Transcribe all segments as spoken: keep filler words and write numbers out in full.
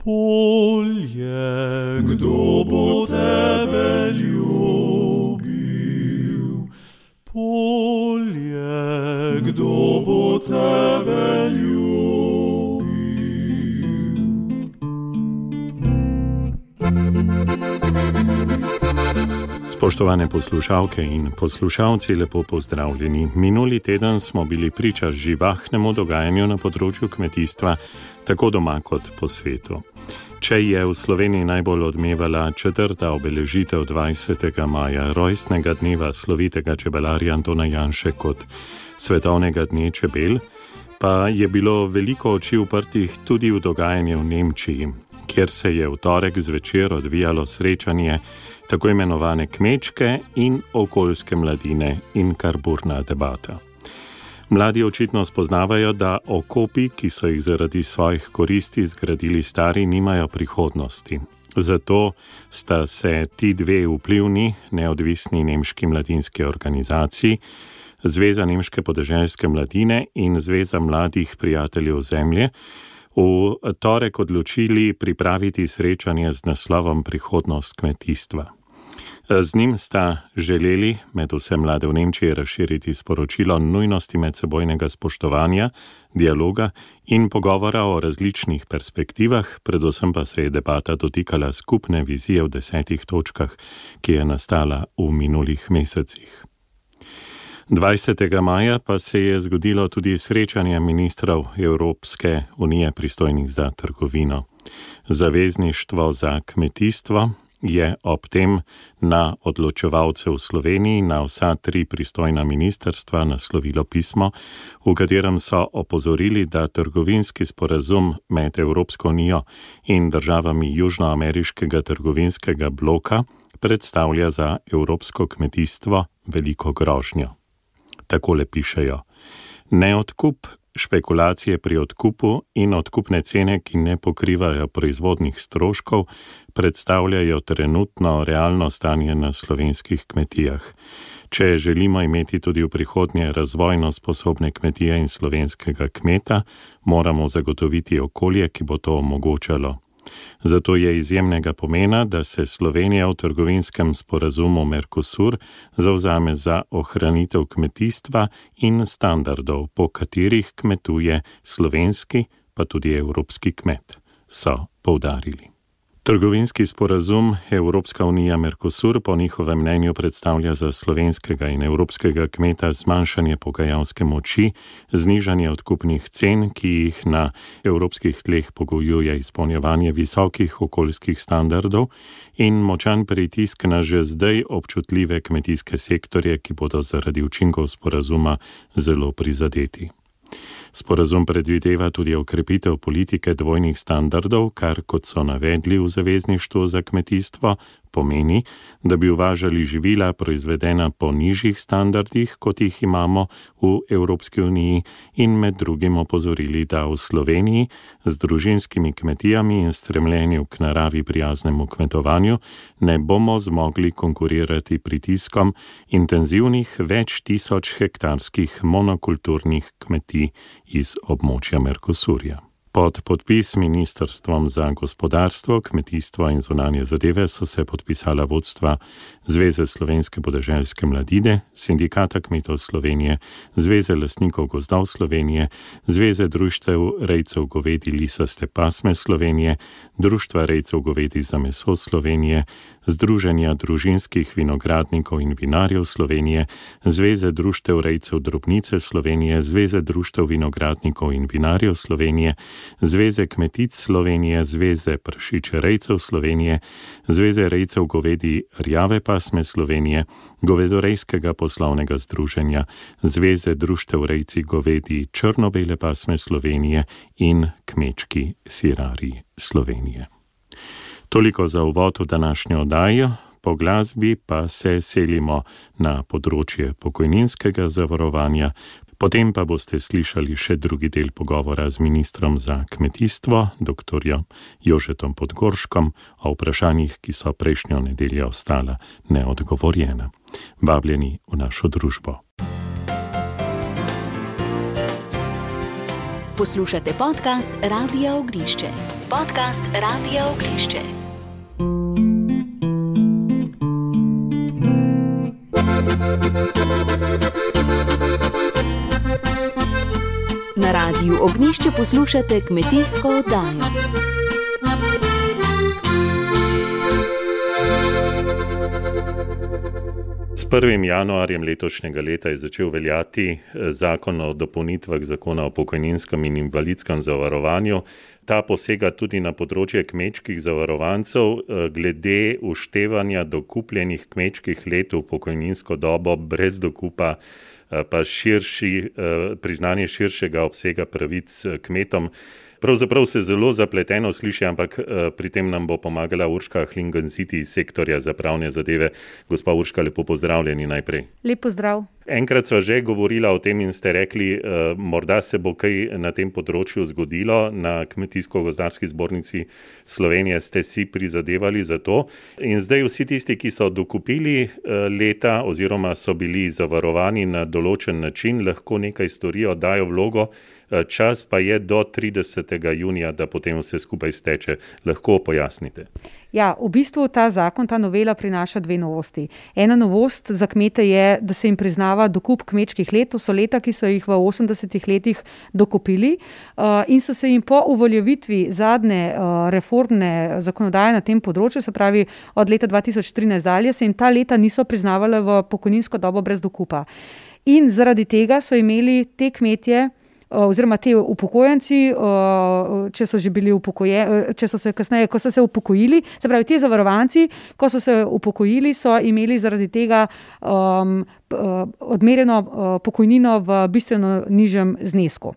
Polje, kdo bo tebe ljubil? Polje, kdo bo tebe ljubil? Spoštovane poslušalke in poslušalci, lepo pozdravljeni. Minuli teden smo bili priča živahnemu dogajanju na področju kmetijstva, tako doma kot po svetu. Če je v Sloveniji najbolj odmevala četrta obeležitev dvajsetega maja, rojstnega dneva slovitega čebelarja Antona Janše kot svetovnega dne čebel, pa je bilo veliko oči uprtih tudi v dogajanje v Nemčiji, kjer se je v torek zvečer odvijalo srečanje tako imenovane kmečke in okoljske mladine in kar burna debata. Mladi očitno spoznavajo, da okopi, ki so jih zaradi svojih koristi zgradili stari, nimajo prihodnosti. Zato sta se ti dve vplivni, neodvisni nemški mladinski organizaciji, Zveza nemške podeželske mladine in Zveza mladih prijateljev zemlje, v torek odločili pripraviti srečanje z naslovom Prihodnost kmetijstva. Z njim sta želeli med vse mlade v Nemčiji razširiti sporočilo nujnosti medsebojnega spoštovanja, dialoga in pogovora o različnih perspektivah, predvsem pa se je debata dotikala skupne vizije v desetih točkah, ki je nastala v minulih mesecih. dvajsetega maja pa se je zgodilo tudi srečanje ministrov Evropske unije pristojnih za trgovino. Zavezništvo za kmetijstvo je ob tem na odločevalce v Sloveniji, na vsa tri pristojna ministrstva naslovilo pismo, v katerem so opozorili, da trgovinski sporazum med Evropsko unijo in državami južnoameriškega trgovinskega bloka predstavlja za evropsko kmetijstvo veliko grožnjo. Takole pišejo: neodkup, špekulacije pri odkupu in odkupne cene, ki ne pokrivajo proizvodnih stroškov, predstavljajo trenutno realno stanje na slovenskih kmetijah. Če želimo imeti tudi v prihodnje razvojno sposobne kmetije in slovenskega kmeta, moramo zagotoviti okolje, ki bo to omogočalo. Zato je izjemnega pomena, da se Slovenija v trgovinskem sporazumu Mercosur zavzame za ohranitev kmetijstva in standardov, po katerih kmetuje slovenski, pa tudi evropski kmet, so poudarili. Trgovinski sporazum Evropska unija Mercosur po njihovem mnenju predstavlja za slovenskega in evropskega kmeta zmanjšanje pogajalske moči, znižanje odkupnih cen, ki jih na evropskih tleh pogojuje izpolnjevanje visokih okoljskih standardov in močan pritisk na že zdaj občutljive kmetijske sektorje, ki bodo zaradi učinkov sporazuma zelo prizadeti. Sporazum predvideva tudi okrepitev politike dvojnih standardov, kar, kot so navedli v Zavezništvu za kmetijstvo, pomeni, da bi uvažali živila proizvedena po nižjih standardih, kot jih imamo v Evropski uniji, in med drugim opozorili, da v Sloveniji z družinskimi kmetijami in stremljenju k naravi prijaznemu kmetovanju ne bomo zmogli konkurirati pritiskom intenzivnih več tisoč hektarskih monokulturnih kmetij iz območja Mercosurja. Pod podpis Ministrstvom za gospodarstvo, kmetijstvo in zunanje zadeve so se podpisala vodstva Zveze slovenske podeželske mladine, Sindikata kmetov Slovenije, Zveze lastnikov gozdov Slovenije, Zveze društev rejcev govedi lisaste pasme Slovenije, Društva rejcev govedi za meso Slovenije, Združenja družinskih vinogradnikov in vinarjev Slovenije, Zveze društev rejcev drobnice Slovenije, Zveze društev vinogradnikov in vinarjev Slovenije, Zveze kmetic Slovenije, Zveze prašiče rejcev Slovenije, Zveze rejcev govedi rjave pasme Slovenije, Govedorejskega poslovnega združenja, Zveze društev rejci govedi črno-bele pasme Slovenije in Kmečki sirarji Slovenije. Toliko za uvod v današnjo oddajo, po glasbi pa se selimo na področje pokojninskega zavarovanja, potem pa boste slišali še drugi del pogovora z ministrom za kmetijstvo, doktorjem Jožetom Podgorškom, o vprašanjih, ki so prejšnjo nedeljo ostala neodgovorjena. Vabljeni v našo družbo. Poslušate podcast Radia Ognišče. podcast Radia Ognjišče. Na Radiu Ognjišče poslušate kmetijsko oddajo. S prvim januarjem letošnjega leta je začel veljati zakon o dopolnitvah zakona o pokojninskem in invalidskem zavarovanju. Ta posega tudi na področje kmečkih zavarovancev glede uštevanja dokupljenih kmečkih let v pokojninsko dobo brez dokupa, pa širši, priznanje širšega obsega pravic kmetom. Pravzaprav se zelo zapleteno sliši, ampak pri tem nam bo pomagala Urška Hlingenziti iz sektorja za pravne zadeve. Gospa Urška, lepo pozdravljeni najprej. Lep pozdrav. Enkrat sva že govorila o tem in ste rekli, morda se bo kaj na tem področju zgodilo. Na Kmetijsko-gozdarski zbornici Slovenije ste si prizadevali za to. In zdaj vsi tisti, ki so dokupili leta oziroma so bili zavarovani na določen način, lahko nekaj storijo, dajo vlogo. Čas pa je do tridesetega junija, da potem vse skupaj steče. Lahko pojasnite. Ja, v bistvu ta zakon, ta novela prinaša dve novosti. Ena novost za kmete je, da se jim priznava dokup kmečkih let. To so leta, ki so jih v osemdesetih letih dokupili in so se jim po uveljavitvi zadnje reformne zakonodaje na tem področju, se pravi od leta dva tisoč trinajst dalje, se jim ta leta niso priznavala v pokojninsko dobo brez dokupa. In zaradi tega so imeli te kmetje oziroma te upokojenci, če so že bili upokojeni, če so se kasneje, ko so se upokojili, se pravi, ti zavarovanci, ko so se upokojili, so imeli zaradi tega um, odmerjeno pokojnino v bistveno nižjem znesku.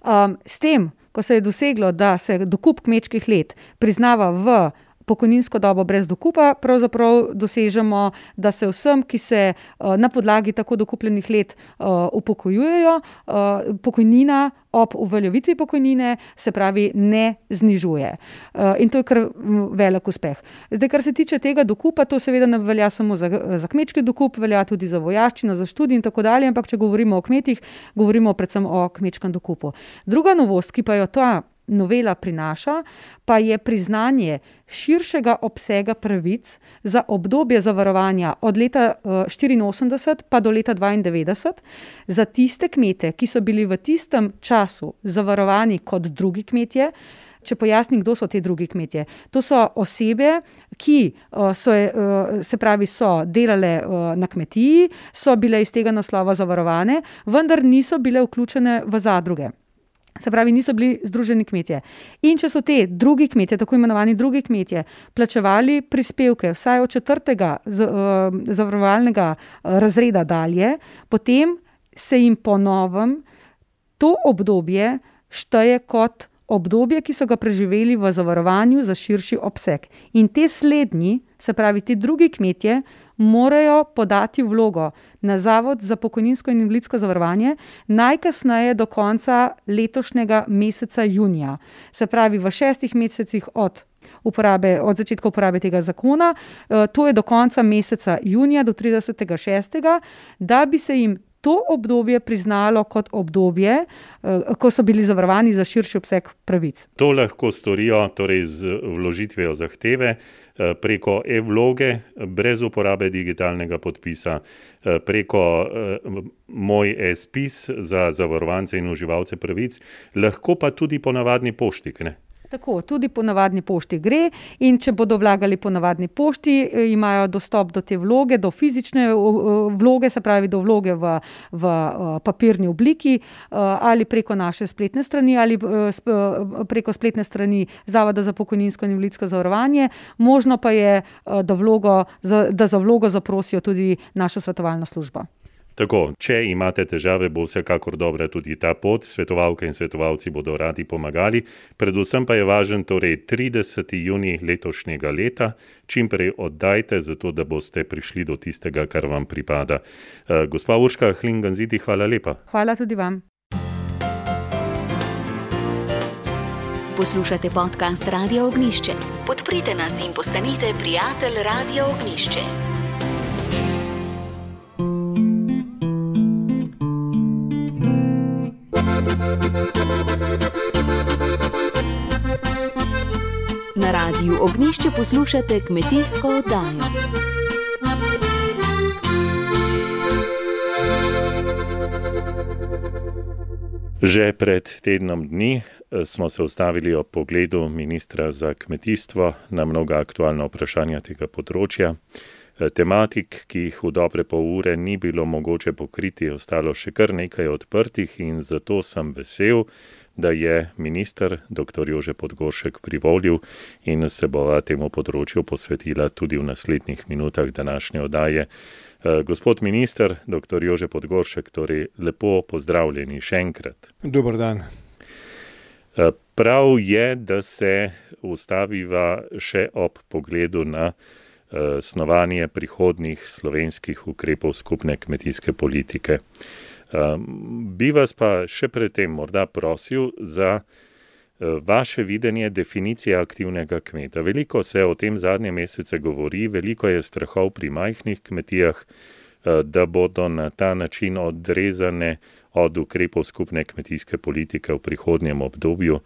Um, s tem, ko se je doseglo, da se dokup kmečkih let priznava v pokojninsko dobo brez dokupa, pravzaprav dosežemo, da se vsem, ki se na podlagi tako dokupljenih let upokojujejo, pokojnina ob uveljavitvi pokojnine, se pravi, ne znižuje. In to je kar velik uspeh. Zdaj, kar se tiče tega dokupa, to seveda ne velja samo za, za kmečki dokup, velja tudi za vojaščino, za študij in tako dalje, ampak če govorimo o kmetih, govorimo predvsem o kmečkem dokupu. Druga novost, ki pa jo ta novela prinaša, pa je priznanje širšega obsega pravic za obdobje zavarovanja od leta štiriinosemdeset pa do leta dvaindevetdeset za tiste kmete, ki so bili v tistem času zavarovani kot drugi kmetje. Če pojasnim, kdo so te drugi kmetje. To so osebe, ki so, se pravi, so delale na kmetiji, so bile iz tega naslova zavarovane, vendar niso bile vključene v zadruge. Se pravi, niso bili združeni kmetje. In če so te drugi kmetje, tako imenovani drugi kmetje, plačevali prispevke vsaj od četrtega zavarovalnega razreda dalje, potem se jim po novem to obdobje šteje kot obdobje, ki so ga preživeli v zavarovanju za širši obseg. In te slednji, se pravi, ti drugi kmetje, morajo podati vlogo na Zavod za pokojninsko in invalidsko zavarovanje najkasneje do konca letošnjega meseca junija. Se pravi, v šestih mesecih od, uporabe, od začetka uporabe tega zakona, to je do konca meseca junija, do tridesetega šestega, da bi se jim to obdobje priznalo kot obdobje, ko so bili zavarovani za širši obseg pravic. To lahko storijo torej z vložitvijo zahteve preko e-vloge, brez uporabe digitalnega podpisa, preko Moj e-spis za zavarovance in uživalce pravic, lahko pa tudi po navadni pošti, ne? Tako, tudi po navadni pošti gre in če bodo vlagali po navadni pošti, imajo dostop do te vloge, do fizične vloge, se pravi do vloge v, v papirni obliki ali preko naše spletne strani ali preko spletne strani Zavoda za pokojninsko in invalidsko zavarovanje. Možno pa je, da, vlogo, da za vlogo zaprosijo tudi našo svetovalno službo. Tako, če imate težave, bo vsekakor dobra tudi ta pot. Svetovalke in svetovalci bodo radi pomagali. Predvsem pa je važen torej trideseti junij letošnjega leta. Čim prej oddajte, zato da boste prišli do tistega, kar vam pripada. Gospa Urška Hlingenziti, hvala lepa. Hvala tudi vam. Poslušate podcast Radia Ognjišče. Podprite nas in postanite prijatelj Radia Ognjišče. Thank you. Na Radiu Ognišče poslušate kmetijsko oddajo. Že pred tednom dni smo se ustavili ob pogledu ministra za kmetijstvo na mnoga aktualna vprašanja tega področja. Tematik, ki jih v dobre pol ure ni bilo mogoče pokriti, je ostalo še kar nekaj odprtih in zato sem vesel, da je minister doktor Jože Podgoršek privolil in se bova temu področju posvetila tudi v naslednjih minutah današnje oddaje. Gospod minister, doktor Jože Podgoršek, torej lepo pozdravljeni še enkrat. Dober dan. Prav je, da se ustaviva še ob pogledu na snovanje prihodnjih slovenskih ukrepov skupne kmetijske politike. Bi vas pa še predtem morda prosil za vaše videnje definicije aktivnega kmeta. Veliko se o tem zadnje mesece govori, veliko je strahov pri majhnih kmetijah, da bodo na ta način odrezane od ukrepov skupne kmetijske politike v prihodnjem obdobju.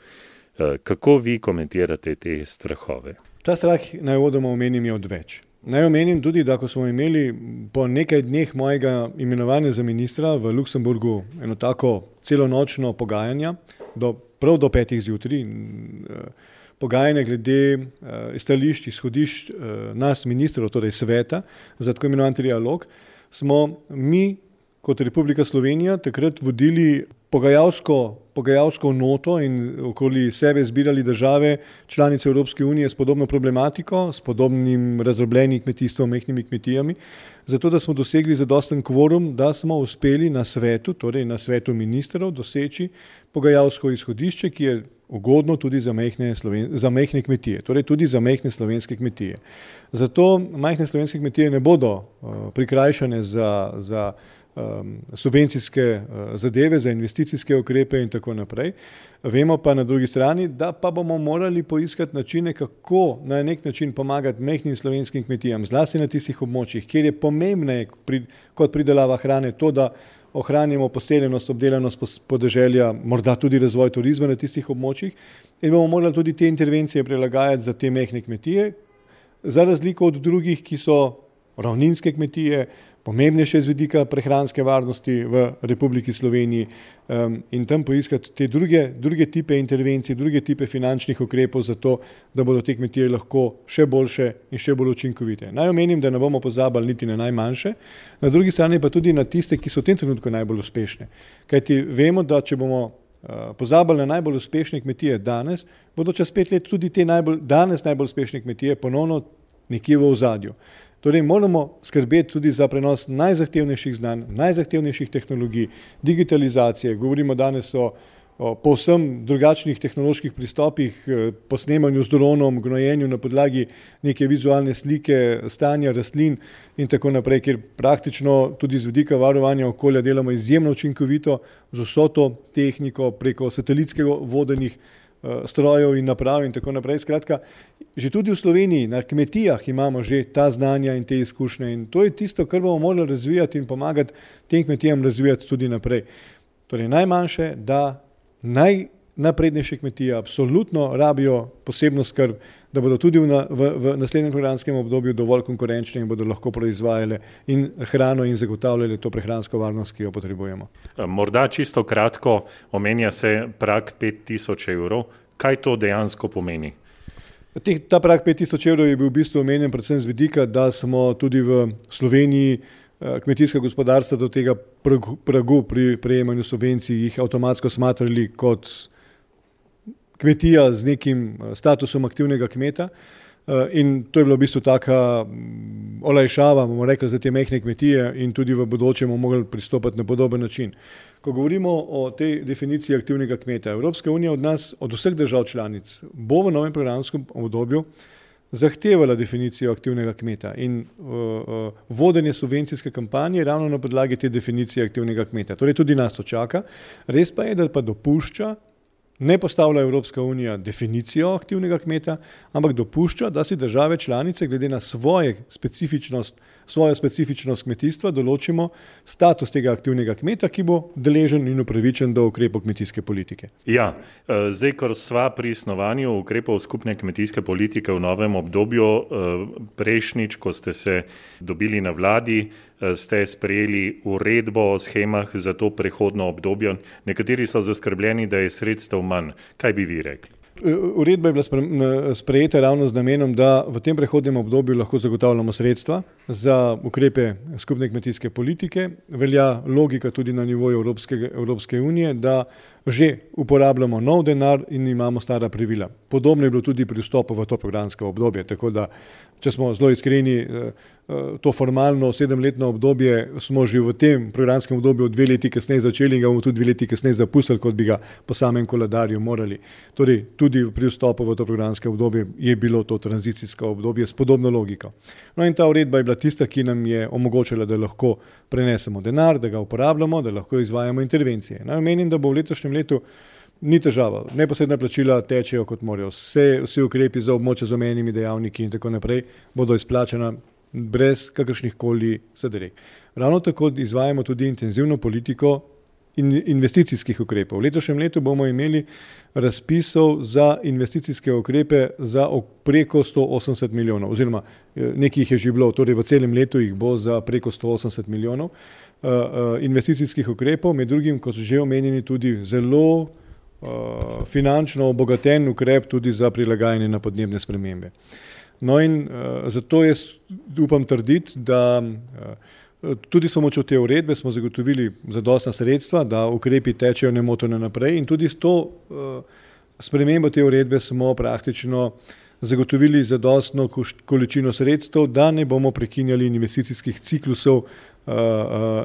Kako vi komentirate te strahove? Ta strah naj uvodoma omenim je odveč. Naj omenim tudi, da ko smo imeli po nekaj dneh mojega imenovanja za ministra v Luksemburgu eno tako celonočno pogajanje, do, prav do petih zjutraj, pogajanje glede stališč, izhodišč nas ministrov, torej sveta, za tako imenovan trialog, smo mi kot Republika Slovenija takrat vodili pogajalsko, pogajalsko noto in okoli sebe zbirali države članice Evropske unije s podobno problematiko, s podobnim razdrobljenim kmetijstvom, majhnimi kmetijami, zato da smo dosegli zadosten kvorum, da smo uspeli na svetu, torej na svetu ministrov, doseči pogajalsko izhodišče, ki je ugodno tudi za majhne, sloven, za majhne kmetije, torej tudi za majhne slovenske kmetije. Zato majhne slovenske kmetije ne bodo uh, prikrajšane za, za subvencijske zadeve, za investicijske ukrepe in tako naprej. Vemo pa na drugi strani, da pa bomo morali poiskati načine, kako na nek način pomagati majhnim slovenskim kmetijam, zlasti na tistih območjih, kjer je pomembneje kot pridelava hrane to, da ohranimo poseljenost, obdelanost podeželja, morda tudi razvoj turizma na tistih območjih in bomo morali tudi te intervencije prilagajati za te majhne kmetije, za razliko od drugih, ki so ravninske kmetije, pomembnejše z vidika prehranske varnosti v Republiki Sloveniji um, in tam poiskati te druge, druge tipe intervencij, druge tipe finančnih ukrepov za to, da bodo te kmetije lahko še boljše in še bolj učinkovite. Naj omenim, da ne bomo pozabili niti na najmanjše, na drugi strani pa tudi na tiste, ki so v tem trenutku najbolj uspešne. Kajti vemo, da če bomo uh, pozabili na najbolj uspešne kmetije danes, bodo čez pet let tudi te najbolj, danes najbolj uspešne kmetije ponovno nekje v ozadju. Torej moramo skrbeti tudi za prenos najzahtevnejših znanj, najzahtevnejših tehnologij, digitalizacije. Govorimo danes o, o povsem drugačnih tehnoloških pristopih, po snemanju z dronom, gnojenju na podlagi neke vizualne slike, stanja rastlin in tako naprej, kjer praktično tudi z vidika varovanja okolja delamo izjemno učinkovito z vso to tehniko preko satelitskega vodenih strojev in naprav in tako naprej. Skratka, že tudi v Sloveniji na kmetijah imamo že ta znanja in te izkušnje in to je tisto, kar bomo morali razvijati in pomagati tem kmetijam razvijati tudi naprej. Torej najmanjše, da najnaprednejše kmetije absolutno rabijo posebno skrb, da bodo tudi v, v, v naslednjem programskem obdobju dovolj konkurenčne in bodo lahko proizvajale in hrano in zagotavljale to prehransko varnost, ki jo potrebujemo. Morda čisto kratko, omenja se prag pet tisoč evrov. Kaj to dejansko pomeni? Ta prag pet tisoč evrov je bil v bistvu omenjen predvsem z vidika, da smo tudi v Sloveniji kmetijska gospodarstva do tega pragu pri prejemanju subvencij jih avtomatsko smatrali kot kmetija z nekim statusom aktivnega kmeta in to je bilo v bistvu taka olajšava, bomo rekli, za te majhne kmetije in tudi v bodoče bomo mogli pristopati na podoben način. Ko govorimo o tej definiciji aktivnega kmeta, Evropska unija od nas, od vseh držav članic, bo v novem programskem obdobju zahtevala definicijo aktivnega kmeta in uh, uh, vodenje subvencijske kampanje ravno na podlagi te definicije aktivnega kmeta. Torej tudi nas to čaka. Res pa je, da pa dopušča Ne postavlja Evropska unija definicijo aktivnega kmeta, ampak dopušča, da si države članice glede na svoje specifičnost, svojo specifičnost kmetijstva določimo status tega aktivnega kmeta, ki bo deležen in upravičen do ukrepov kmetijske politike. Ja, zdaj, ko sva pri snovanju ukrepov skupne kmetijske politike v novem obdobju, prejšnjič, ko ste se dobili na vladi, ste sprejeli uredbo o schemah za to prehodno obdobje. Nekateri so zaskrbljeni, da je sredstev manj. Kaj bi vi rekli? Uredba je bila sprejeta ravno z namenom, da v tem prehodnem obdobju lahko zagotavljamo sredstva za ukrepe skupne kmetijske politike. Velja logika tudi na nivoju Evropske, Evropske unije, da že uporabljamo nov denar in imamo stara pravila. Podobno je bilo tudi pri vstopu v to programsko obdobje, tako da, če smo zelo iskreni, to formalno sedemletno obdobje smo že v tem programskem obdobju dve leti kasneje začeli in ga bomo tudi dve leti kasneje zapustili, kot bi ga po samem koledarju morali. Torej, tudi pri vstopu v to programske obdobje je bilo to tranzicijsko obdobje s podobno logiko. No in ta uredba je bila tista, ki nam je omogočila, da lahko prenesemo denar, da ga uporabljamo, da lahko izvajamo intervencije. Naj omenim, da bo v letošnjem letu ni težava. Neposredna plačila tečejo kot morajo. Vse, vsi ukrepi za območje z omenjenimi dejavniki in tako naprej bodo izplačena brez kakršnih koli zadreg. Ravno tako izvajamo tudi intenzivno politiko investicijskih ukrepov. V letošnjem letu bomo imeli razpisov za investicijske ukrepe za preko sto osemdeset milijonov, oziroma nekih je že bilo, torej v celem letu jih bo za preko sto osemdeset milijonov investicijskih ukrepov, med drugim, kot so že omenjeni, tudi zelo finančno obogaten ukrep tudi za prilagajanje na podnebne spremembe. No in uh, zato jaz upam trditi, da uh, tudi s pomočjo te uredbe smo zagotovili zadostna sredstva, da ukrepi tečejo nemoteno naprej in tudi s to uh, spremembo te uredbe smo praktično zagotovili zadostno količino sredstev, da ne bomo prekinjali investicijskih ciklusov uh, uh,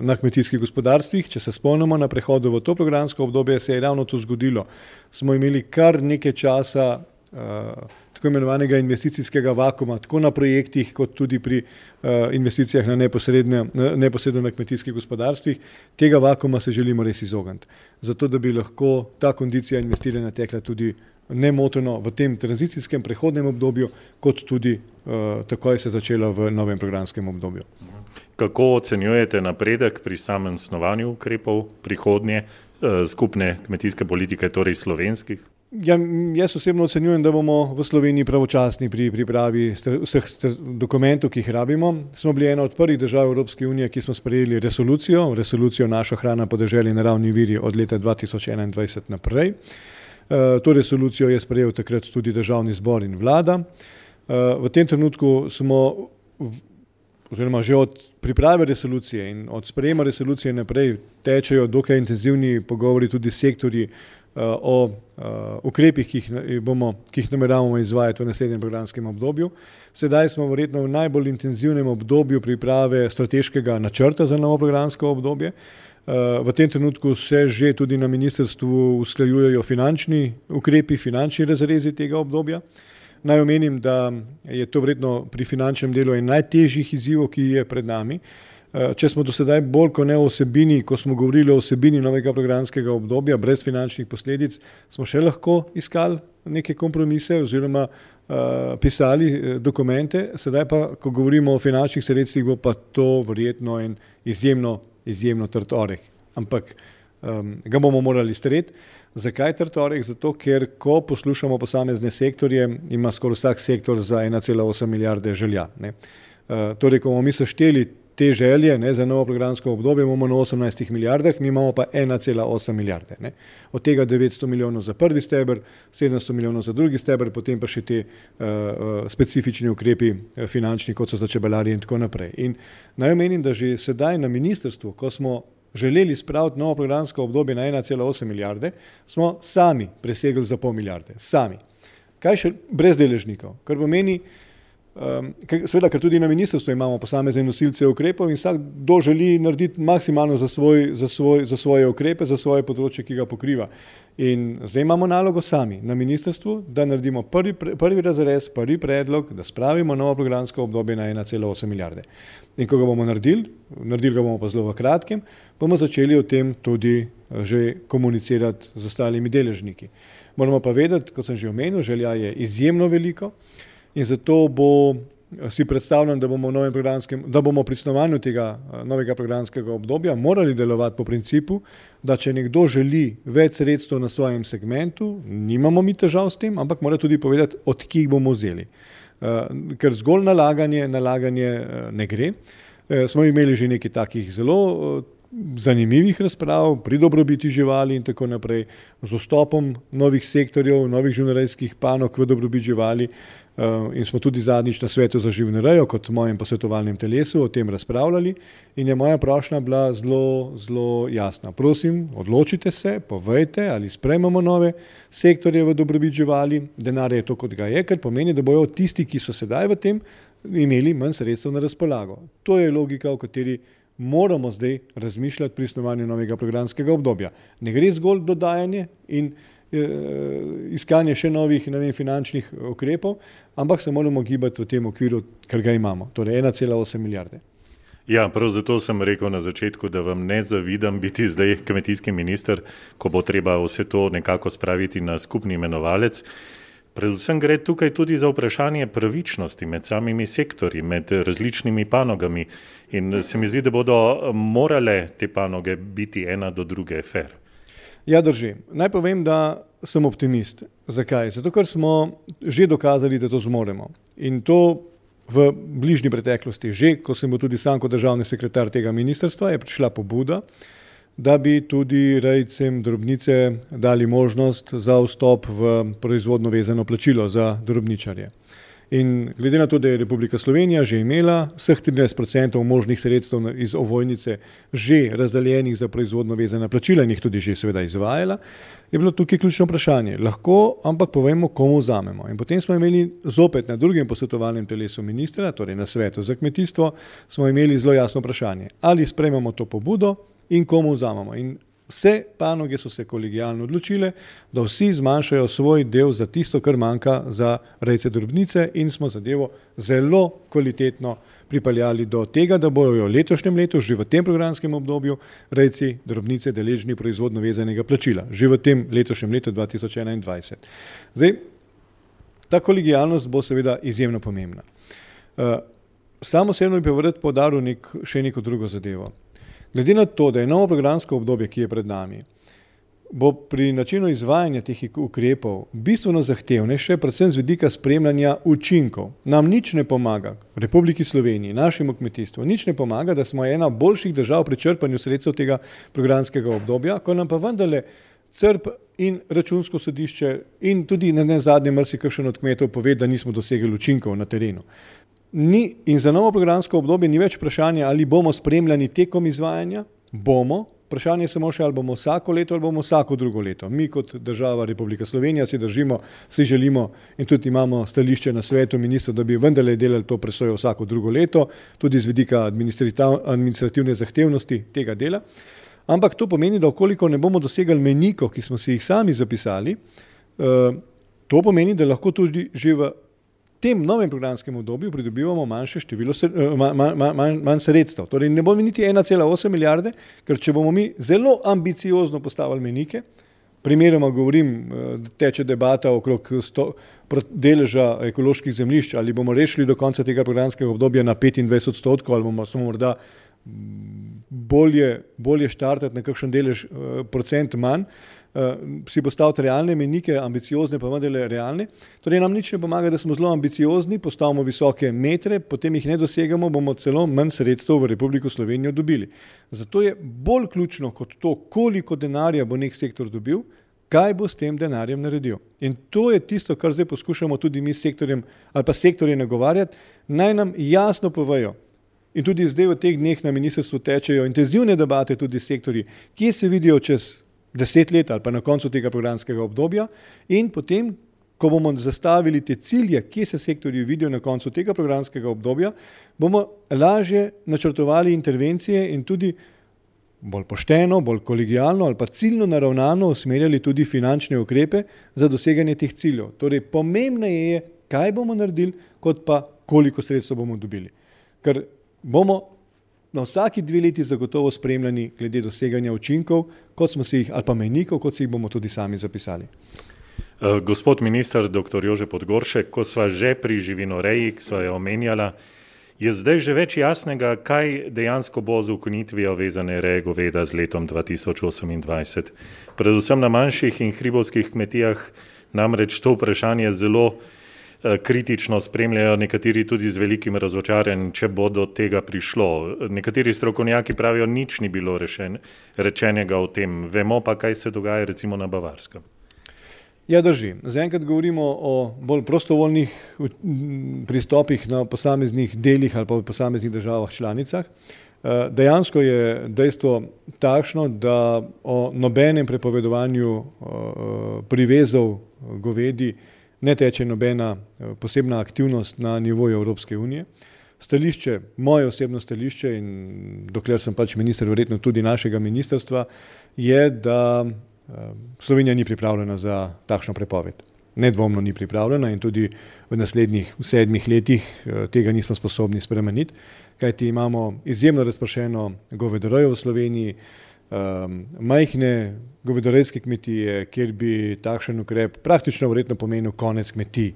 na kmetijskih gospodarstvih. Če se spomnimo na prehodu v to programsko obdobje, se je ravno to zgodilo. Smo imeli kar nekaj časa uh, tako imenovanega investicijskega vakuma, tako na projektih, kot tudi pri uh, investicijah na neposredno, neposredno na kmetijskih gospodarstvih. Tega vakuma se želimo res izogniti. Zato, da bi lahko ta kondicija investiranja tekla tudi nemoteno v tem tranzicijskem prehodnem obdobju, kot tudi uh, takoj se začela v novem programskem obdobju. Kako ocenjujete napredek pri samem snovanju ukrepov prihodnje uh, skupne kmetijske politike, torej slovenskih? Ja, jaz osebno ocenjujem, da bomo v Sloveniji pravočasni pri pripravi vseh dokumentov, ki jih rabimo. Smo bili ena od prvih držav Evropske unije, ki smo sprejeli resolucijo, resolucijo Naša hrana, podeželje in naravni viri od leta dva tisoč enaindvajset naprej. To resolucijo je sprejel takrat tudi Državni zbor in vlada. V tem trenutku smo, oziroma že od priprave resolucije in od sprejema resolucije naprej tečejo dokaj intenzivni pogovori tudi s sektorji o ukrepih, ki jih bomo, ki jih nameravamo izvajati v naslednjem programskem obdobju. Sedaj smo verjetno v najbolj intenzivnem obdobju priprave strateškega načrta za novo programsko obdobje. V tem trenutku se že tudi na ministrstvu usklajujejo finančni ukrepi, finančni razrezi tega obdobja. Naj omenim, da je to verjetno pri finančnem delu en najtežjih izzivov, ki je pred nami. Če smo do sedaj bolj kot ne o vsebini, ko smo govorili o vsebini novega programskega obdobja, brez finančnih posledic, smo še lahko iskali neke kompromise oziroma uh, pisali dokumente. Sedaj pa, ko govorimo o finančnih sredstvih, bo pa to verjetno en izjemno, izjemno trd oreh. Ampak um, ga bomo morali streti. Zakaj trd oreh? Zato, ker ko poslušamo posamezne sektorje, ima skoraj vsak sektor za ena cela osem milijarde želja. Ne? Uh, torej, ko bomo mi sešteli te želje, ne, za novo programsko obdobje, imamo na osemnajstih milijardah, mi imamo pa ena cela osem milijarde. Ne. Od tega devetsto milijonov za prvi steber, sedemsto milijonov za drugi steber, potem pa še te uh, specifični ukrepi uh, finančni, kot so za čebelarje in tako naprej. In naj omenim, da že sedaj na ministrstvu, ko smo želeli spraviti novo programsko obdobje na ena cela osem milijarde, smo sami presegli za pol milijarde. Sami. Kaj še brez deležnikov? Kar pomeni, Um, seveda, ker tudi na ministrstvu imamo posamezne nosilce ukrepov in vsak kdo želi narediti maksimalno za, svoj, za, svoj, za svoje ukrepe, za svoje področje, ki ga pokriva. In zdaj imamo nalogo sami na ministrstvu, da naredimo prvi, prvi razrez, prvi predlog, da spravimo novo programsko obdobje na ena cela osem milijarde. In ko ga bomo naredili, naredili ga bomo pa zelo v kratkem, bomo začeli o tem tudi že komunicirati z ostalimi deležniki. Moramo pa vedeti, kot sem že omenil, želja je izjemno veliko in zato bo si predstavljam, da bomo, v novem programskem, da bomo pri snovanju tega novega programskega obdobja morali delovati po principu, da če nekdo želi več sredstev na svojem segmentu, nimamo mi težav s tem, ampak mora tudi povedati, od kje bomo vzeli. Ker zgolj nalaganje, nalaganje ne gre. Smo imeli že nekaj takih zelo zanimivih razprav pri dobrobiti živali in tako naprej, z vstopom novih sektorjev, novih živinorejskih panog v dobrobit živali in smo tudi zadnjič na svetu za živinorejo kot mojem posvetovalnem telesu o tem razpravljali in je moja prošnja bila zelo, zelo jasna. Prosim, odločite se, povejte, ali sprejmemo nove sektorje v dobrobit živali, denar je to, kot ga je, ker pomeni, da bojo tisti, ki so sedaj v tem, imeli manj sredstev na razpolago. To je logika, v kateri moramo zdaj razmišljati pri snovanju novega programskega obdobja. Ne gre zgolj dodajanje in e, iskanje še novih, ne vem, finančnih ukrepov, ampak se moramo gibati v tem okviru, kar ga imamo, torej ena cela osem milijarde. Ja, prav zato sem rekel na začetku, da vam ne zavidam biti zdaj kmetijski minister, ko bo treba vse to nekako spraviti na skupni imenovalec. Predvsem gre tukaj tudi za vprašanje pravičnosti med samimi sektorji, med različnimi panogami in se mi zdi, da bodo morale te panoge biti ena do druge fair. Ja, drži. Naj povem, da sem optimist. Zakaj? Zato, ker smo že dokazali, da to zmoremo. In to v bližnji preteklosti. Že, ko sem bil tudi sam kot državni sekretar tega ministrstva, je prišla pobuda, da bi tudi rejcem drobnice dali možnost za vstop v proizvodno vezano plačilo za drobničarje. In glede na to, da je Republika Slovenija že imela vseh trinajst procentov možnih sredstev iz ovojnice že razdeljenih za proizvodno vezana plačila in jih tudi že seveda izvajala, je bilo tukaj ključno vprašanje. Lahko, ampak povemo, komu vzamemo. In potem smo imeli zopet na drugem posvetovalnem telesu ministra, torej na svetu za kmetijstvo, smo imeli zelo jasno vprašanje. Ali sprejmemo to pobudo in komu vzamemo. In vse panoge so se kolegijalno odločile, da vsi zmanjšajo svoj del za tisto, kar manjka za rejce drobnice in smo zadevo zelo kvalitetno pripeljali do tega, da bojo v letošnjem letu, že v tem programskem obdobju, rejci drobnice deležni proizvodno vezanega plačila. Že v tem letošnjem letu dva tisoč enaindvajset. Zdaj, ta kolegijalnost bo seveda izjemno pomembna. Uh, Sam osebno bi pa vrd poudaril nek, še neko drugo zadevo. Glede na to, da je novo programsko obdobje, ki je pred nami, bo pri načinu izvajanja teh ukrepov bistveno zahtevnejše, predvsem z vidika spremljanja učinkov. Nam nič ne pomaga, Republiki Sloveniji, našemu kmetijstvu, nič ne pomaga, da smo ena boljših držav pri črpanju sredstev tega programskega obdobja, ko nam pa vendarle C R P in Računsko sodišče in tudi na zadnje marsikakšen od kmetov pove, da nismo dosegli učinkov na terenu. Ni, in za novo programsko obdobje ni več vprašanje, ali bomo spremljani tekom izvajanja, bomo, vprašanje je samo še, ali bomo vsako leto ali bomo vsako drugo leto. Mi kot država Republika Slovenija si držimo, si želimo in tudi imamo stališče na svetu ministrov, da bi vendarle delali to presojo vsako drugo leto, tudi z vidika administrativne zahtevnosti tega dela. Ampak to pomeni, da okoliko ne bomo dosegali mejnikov, ki smo si jih sami zapisali, to pomeni, da lahko tudi že v V tem novem programskem obdobju pridobivamo manjše število, manj, manj, manj sredstev. Torej ne bomo niti ena cela osem milijarde, ker če bomo mi zelo ambiciozno postavili mejnike, primeroma govorim, teče debata okrog sto, deleža ekoloških zemljišč, ali bomo rešili do konca tega programskega obdobja na petindvajset odstotkov, ali bomo samo morda bolje, bolje štartati na kakšen delež procent manj, si postaviti realne mejnike, ambiciozne pa vendarle realne. Torej nam nič ne pomaga, da smo zelo ambiciozni, postavimo visoke metre, potem jih ne dosegamo, bomo celo manj sredstev v Republiko Slovenijo dobili. Zato je bolj ključno kot to, koliko denarja bo nek sektor dobil, kaj bo s tem denarjem naredil. In to je tisto, kar zdaj poskušamo tudi mi s sektorjem ali pa sektorje nagovarjati, naj nam jasno povejo. In tudi zdaj v teh dneh na ministrstvu tečejo intenzivne debate tudi sektorji, kje se vidijo čez deset let ali pa na koncu tega programskega obdobja in potem, ko bomo zastavili te cilje, kje se sektorji vidijo na koncu tega programskega obdobja, bomo lažje načrtovali intervencije in tudi bolj pošteno, bolj kolegijalno ali pa ciljno naravnano usmerjali tudi finančne ukrepe za doseganje teh ciljev. Torej, pomembneje je, kaj bomo naredili, kot pa koliko sredstev bomo dobili. Ker bomo na vsaki dve leti zagotovo spremljani glede doseganja učinkov, kot smo si jih, ali pa mejnikov, kot si jih bomo tudi sami zapisali. Gospod minister, doktor Jože Podgoršek, ko sva že pri živinoreji, ki sva jo omenjala, je zdaj že več jasnega, kaj dejansko bo z ukinitvijo vezane reje goveda z letom dva tisoč osemindvajset. Predvsem na manjših in hribovskih kmetijah namreč to vprašanje zelo kritično spremljajo, nekateri tudi z velikim razočaranjem, če bo do tega prišlo. Nekateri strokovnjaki pravijo, nič ni bilo rešen, rečenega o tem. Vemo pa, kaj se dogaja recimo na Bavarskem. Ja, drži. Zaenkrat govorimo o bolj prostovoljnih pristopih na posameznih delih ali pa v posameznih državah članicah. Dejansko je dejstvo takšno, da o nobenem prepovedovanju privezov govedi ne teče nobena posebna aktivnost na nivoju Evropske unije. Stališče, moje osebno stališče in dokler sem pač minister, verjetno tudi našega ministrstva, je, da Slovenija ni pripravljena za takšno prepoved. Nedvomno ni pripravljena in tudi v naslednjih sedmih letih tega nismo sposobni spremeniti, kajti imamo izjemno razpršeno govedorejo v Sloveniji, majhne govedorejske kmetije, kjer bi takšen ukrep praktično verjetno pomenil konec kmetij,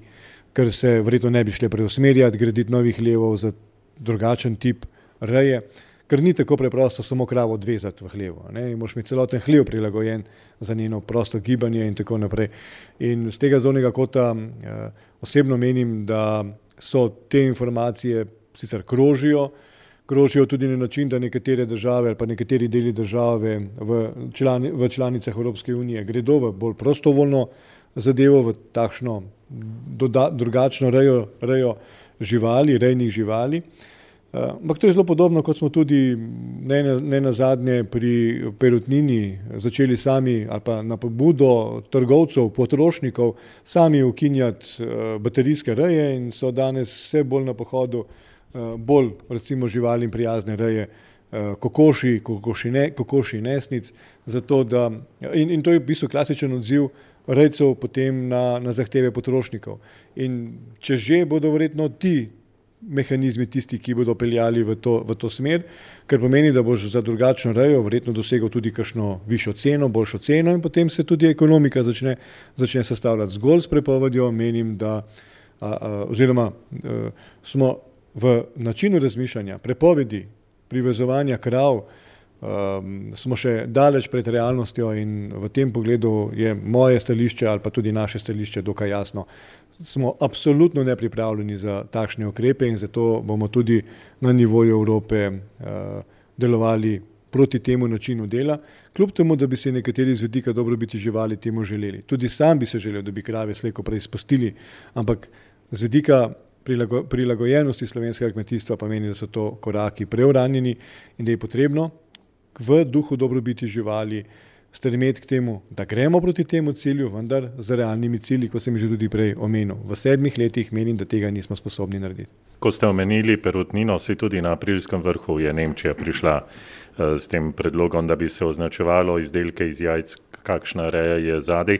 ker se verjetno ne bi šle preusmerjati, graditi novih levov za drugačen tip reje, ker ni tako preprosto samo kravo odvezati v hlevu. Ne? Moraš imeti celoten hlev prilagojen za njeno prosto gibanje in tako naprej. In z tega zornega kota eh, osebno menim, da so te informacije sicer krožijo, krožijo tudi na način, da nekatere države ali pa nekateri deli države v, člani, v članicah Evropske unije gredo v bolj prostovoljno zadevo, v takšno doda, drugačno rejo, rejo živali, rejnih živali. Ampak to je zelo podobno, kot smo tudi ne, ne nazadnje pri perutnini začeli sami ali pa na pobudo trgovcev, potrošnikov sami ukinjati baterijske reje in so danes vse bolj na pohodu bolj recimo živalim prijazne reje kokoši, kokoši, ne, kokoši nesnic, zato da, in, in to je v bistvu klasičen odziv rejcev potem na, na zahteve potrošnikov. In če že bodo verjetno ti mehanizmi tisti, ki bodo peljali v to, v to smer, ker pomeni, da boš za drugačno rejo verjetno dosegel tudi kakšno višjo ceno, boljšo ceno in potem se tudi ekonomika začne, začne sestavljati zgolj s prepovedjo. Menim, da a, a, oziroma a, smo v načinu razmišljanja prepovedi privezovanja krav Um, smo še daleč pred realnostjo in v tem pogledu je moje stališče ali pa tudi naše stališče dokaj jasno. Smo absolutno nepripravljeni za takšne ukrepe in zato bomo tudi na nivoju Evrope uh, delovali proti temu načinu dela, kljub temu, da bi se nekateri z vidika dobrobiti živali temu želeli. Tudi sam bi se želel, da bi krave slej ko prej spustili, ampak z vidika prilago, prilagojenosti slovenskega kmetijstva pa meni, da so to koraki preuranjeni in da je potrebno v duhu dobrobiti živali stremeti k temu, da gremo proti temu cilju, vendar z realnimi cilji, kot sem že tudi prej omenil. V sedmih letih menim, da tega nismo sposobni narediti. Ko ste omenili perutnino, si tudi na aprilskem vrhu je Nemčija prišla uh, s tem predlogom, da bi se označevalo izdelke iz jajc, kakšna reja je zadaj.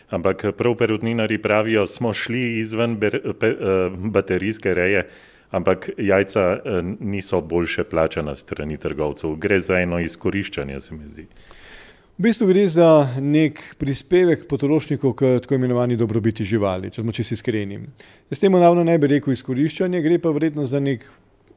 Ampak prav perutninari pravijo, smo šli izven ber, pe, uh, baterijske reje, ampak jajca niso boljše plačana strani trgovcev. Gre za eno izkoriščanje, se mi zdi. V bistvu gre za nek prispevek potrošnikov k tako imenovani dobrobiti živali, če smo čisto iskreni. S tem ravno ne bi rekel izkoriščanje, gre pa verjetno za nek,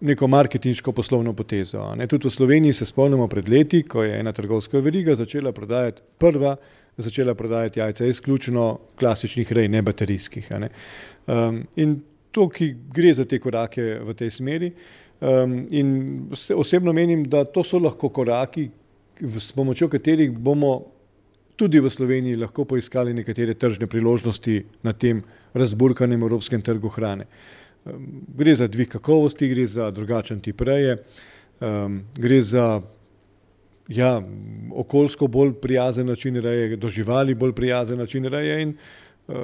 neko marketinško poslovno potezo. Ne? Tudi v Sloveniji se spomnimo pred leti, ko je ena trgovska veriga začela prodajati prva, začela prodajati jajca izključno klasičnih rej, ne baterijskih. Ne? Um, in to, ki gre za te korake v tej smeri um, in osebno menim, da to so lahko koraki, s pomočjo katerih bomo tudi v Sloveniji lahko poiskali nekatere tržne priložnosti na tem razburkanem evropskem trgu hrane. Um, gre za dvig kakovosti, gre za drugačen tip reje, um, gre za ja, okoljsko bolj prijazen način reje, do živali bolj prijazen način reje in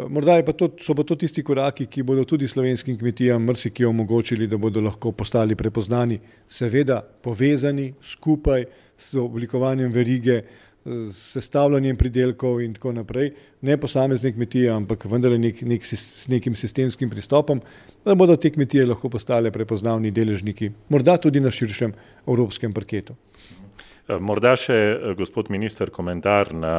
morda je pa to, so pa to tisti koraki, ki bodo tudi slovenskim kmetijam marsikje omogočili, da bodo lahko postali prepoznani, seveda povezani skupaj s oblikovanjem verige, s sestavljanjem pridelkov in tako naprej, ne posamezne kmetije, ampak vendar nek, nek, s nekim sistemskim pristopom, da bodo te kmetije lahko postale prepoznavni deležniki, morda tudi na širšem evropskem parketu. Morda še, gospod minister, komentar na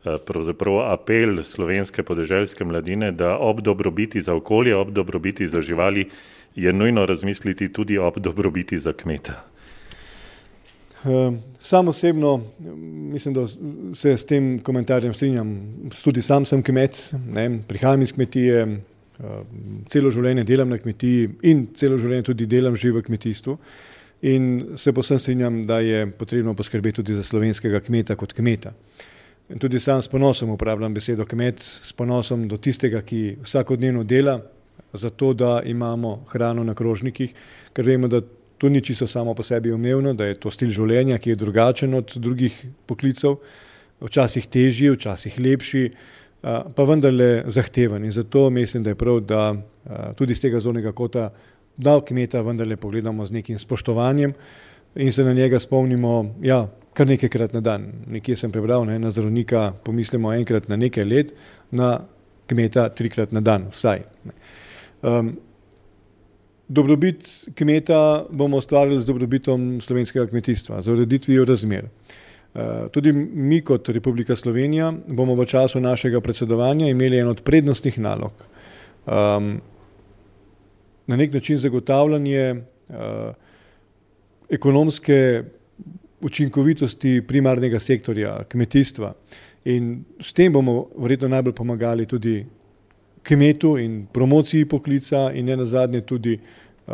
pravzaprav apel slovenske podeželske mladine, da ob dobrobiti za okolje, ob dobrobiti za živali je nujno razmisliti tudi ob dobrobiti za kmeta. Sam osebno mislim, da se s tem komentarjem strinjam. Tudi sam sem kmet, ne, prihajam iz kmetije, celo življenje delam na kmetiji in celo življenje tudi delam že v kmetijstvu. In se posem strinjam, da je potrebno poskrbeti tudi za slovenskega kmeta kot kmeta. In tudi sam s ponosom uporabljam besedo kmet, s ponosom do tistega, ki vsakodnevno dela za to, da imamo hrano na krožnikih, ker vemo, da to ni čisto samo po sebi umevno, da je to stil življenja, ki je drugačen od drugih poklicev, včasih težji, včasih lepši, pa vendarle zahteven. In zato mislim, da je prav, da tudi z tega zornega kota, da kmeta vendarle pogledamo z nekim spoštovanjem in se na njega spomnimo, ja, kar nekajkrat na dan. Nekje sem prebral, ne, na zdravnika pomislimo enkrat na nekaj let, na kmeta trikrat na dan, vsaj. Um, dobrobit kmeta bomo ustvarili z dobrobitom slovenskega kmetijstva, z ureditvijo razmer. Uh, tudi mi kot Republika Slovenija bomo v času našega predsedovanja imeli eno od prednostnih nalog. Um, na nek način zagotavljanje uh, ekonomske učinkovitosti primarnega sektorja kmetijstva. In s tem bomo verjetno najbolj pomagali tudi kmetu in promociji poklica in ne nazadnje tudi uh,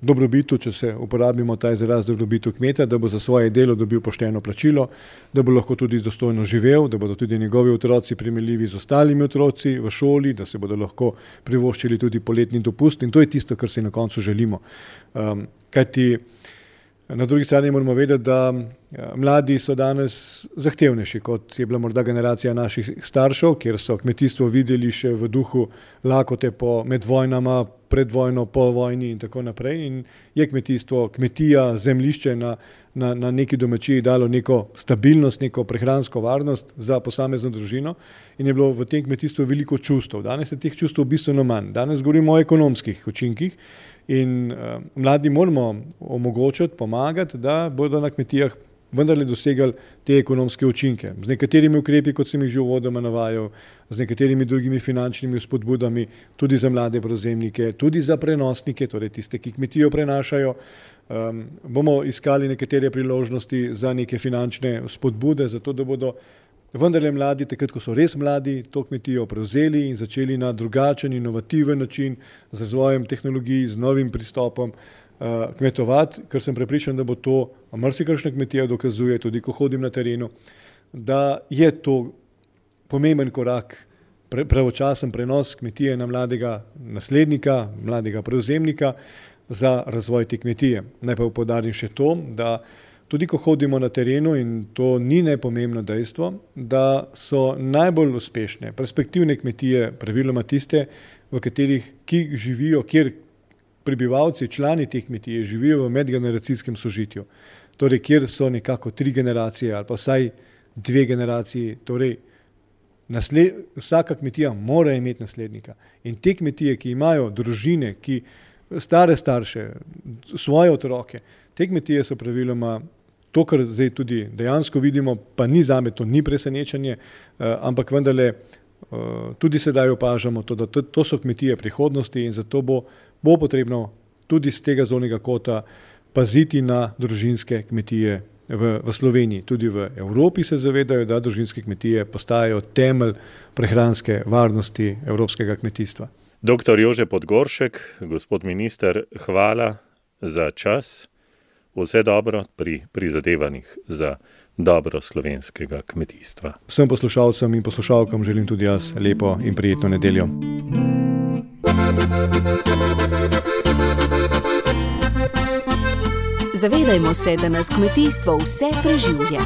dobrobitu, če se uporabimo ta izraz dobrobitu kmeta, da bo za svoje delo dobil pošteno plačilo, da bo lahko tudi dostojno živel, da bodo tudi njegovi otroci primerljivi z ostalimi otroci v šoli, da se bodo lahko privoščili tudi poletni dopust in to je tisto, kar si na koncu želimo. Um, kajti na drugi strani moramo vedeti, da mladi so danes zahtevnejši, kot je bila morda generacija naših staršev, kjer so kmetijstvo videli še v duhu lakote po med vojnama, pred vojno, po vojni in tako naprej. In je kmetijstvo, kmetija, zemljišče na, na, na neki domačiji dalo neko stabilnost, neko prehransko varnost za posamezno družino in je bilo v tem kmetijstvu veliko čustev. Danes je teh čustev bistveno manj. Danes govorimo o ekonomskih učinkih. In uh, mladi moramo omogočiti, pomagati, da bodo na kmetijah vendarle dosegali te ekonomske učinke. Z nekaterimi ukrepi, kot sem jih že uvodoma navajal, z nekaterimi drugimi finančnimi spodbudami, tudi za mlade prevzemnike, tudi za prenosnike, torej tiste, ki kmetijo prenašajo. Um, bomo iskali nekatere priložnosti za neke finančne spodbude, zato da bodo vendarle mladi, takrat, ko so res mladi, to kmetijo prevzeli in začeli na drugačen, inovativen način z razvojem tehnologij, z novim pristopom uh, kmetovati, ker sem prepričan, da bo to, marsikakšna kmetija dokazuje, tudi ko hodim na terenu, da je to pomemben korak, pre, pravočasen prenos kmetije na mladega naslednika, mladega prevzemnika za razvoj te kmetije. Naj pa poudarim še to, da tudi ko hodimo na terenu, in to ni nepomembno dejstvo, da so najbolj uspešne, perspektivne kmetije praviloma tiste, v katerih, ki živijo, kjer prebivalci, člani teh kmetije živijo v medgeneracijskem sožitju. Torej, kjer so nekako tri generacije ali pa vsaj dve generaciji, torej nasled, vsaka kmetija mora imeti naslednika. In te kmetije, ki imajo družine, ki stare starše, svoje otroke, te kmetije so praviloma to, kar zdaj tudi dejansko vidimo, pa ni zame, to ni presenečenje, ampak vendarle tudi sedaj opažamo to, da to, to so kmetije prihodnosti in zato bo, bo potrebno tudi z tega zornega kota paziti na družinske kmetije v, v Sloveniji. Tudi v Evropi se zavedajo, da družinske kmetije postajajo temelj prehranske varnosti evropskega kmetijstva. Doktor Jože Podgoršek, gospod minister, hvala za čas. Vse dobro pri prizadevanjih za dobro slovenskega kmetijstva. Vsem poslušalcem in poslušalkam želim tudi jaz lepo in prijetno nedeljo. Zavedajmo se, da nas kmetijstvo vse preživlja.